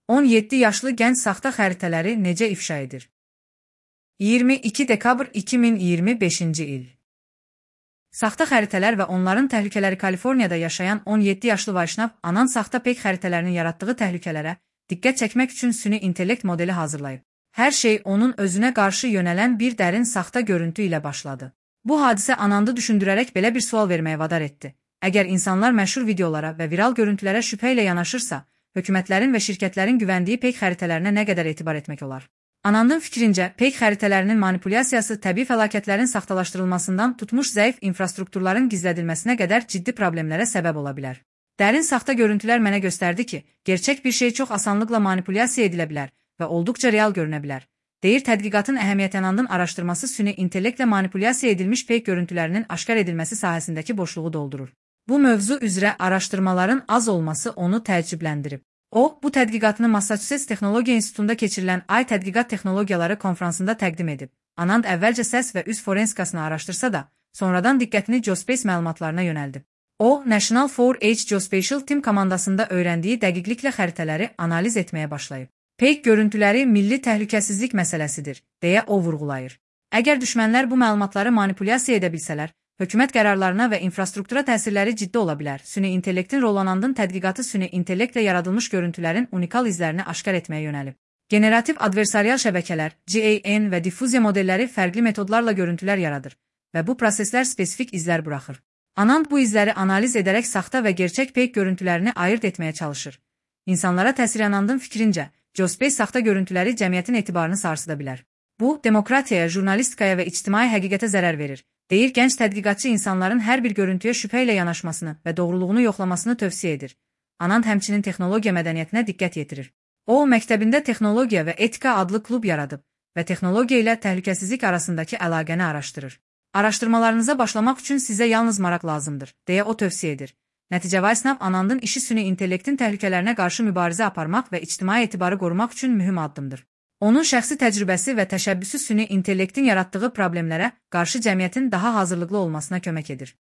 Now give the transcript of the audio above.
17 yaşlı gənc saxta xəritələri necə ifşa edir? 22 dekabr 2025-ci il. Saxta xəritələr və onların təhlükələri. Kaliforniyada yaşayan 17 yaşlı Vaşnav, Anand saxta peyk xəritələrinin yaratdığı təhlükələrə diqqət çəkmək üçün süni intellekt modeli hazırlayıb. Hər şey onun özünə qarşı yönələn bir dərin saxta görüntü ilə başladı. Bu hadisə Anandı düşündürərək belə bir sual verməyə vadar etdi. Əgər insanlar məşhur videolara və viral görüntülərə şübhə ilə yanaşırsa, hökumətlərin və şirkətlərin güvəndiyi peyk xəritələrinə nə qədər etibar etmək olar? Anandın fikrincə, peyk xəritələrinin manipulyasiyası təbii fəlakətlərin saxtalaşdırılmasından tutmuş zəif infrastrukturların gizlədilməsinə qədər ciddi problemlərə səbəb ola bilər. Dərin saxta görüntülər mənə göstərdi ki, gerçək bir şey çox asanlıqla manipulyasiya edilə bilər və olduqca real görünə bilər. Deyir tədqiqatın əhəmiyyəti. Anandın araşdırması süni intellektlə manipulyasiya edilmiş peyk görüntülərinin aşkar edilməsi sahəsindəki boşluğu doldurur. Bu mövzu üzrə araşdırmaların az olması onu təəccübləndirib. O, bu tədqiqatını Massachusetts Texnologiya İnstitutunda keçirilən Ay Tədqiqat Texnologiyaları konfransında təqdim edib. Anand əvvəlcə səs və üz forensikasını araşdırsa da, sonradan diqqətini Geospace məlumatlarına yönəldib. O, National 4H Geospatial Team komandasında öyrəndiyi dəqiqliklə xəritələri analiz etməyə başlayıb. Peyk görüntüləri milli təhlükəsizlik məsələsidir, deyə o vurğulayır. Əgər düşmənlər bu məlumatları manipulyasiya edə bilsələr, hökumət qərarlarına və infrastruktura təsirləri ciddi ola bilər. Süni intellektin rolu. Anandın tədqiqatı süni intellektlə yaradılmış görüntülərin unikal izlərini aşkar etməyə yönəlib. Generativ adversarial şəbəkələr, GAN və diffuziya modelləri fərqli metodlarla görüntülər yaradır və bu proseslər spesifik izlər buraxır. Anand bu izləri analiz edərək saxta və gerçək peyk görüntülərini ayırt etməyə çalışır. İnsanlara təsir. Anandın fikrincə, Geospace saxta görüntüləri cəmiyyətin etibarını sarsıda bilər. Bu, demokratiyaya, jurnalistikaya və ictimai həqiqətə zərər verir. Deyir gənc tədqiqatçı insanların hər bir görüntüyə şübhə ilə yanaşmasını və doğruluğunu yoxlamasını tövsiyə edir. Anand həmçinin texnologiya mədəniyyətinə diqqət yetirir. O, məktəbində texnologiya və etika adlı klub yaradıb və texnologiya ilə təhlükəsizlik arasındakı əlaqəni araşdırır. Araşdırmalarınıza başlamaq üçün sizə yalnız maraq lazımdır, deyə o tövsiyə edir. Nəticə Vaşnav, Anandın işi süni intellektin təhlükələrinə qarşı mübarizə aparmaq və ictimai etibarı qorumaq üçün mühüm addımdır. Onun şəxsi təcrübəsi və təşəbbüsü süni intellektin yaratdığı problemlərə qarşı cəmiyyətin daha hazırlıqlı olmasına kömək edir.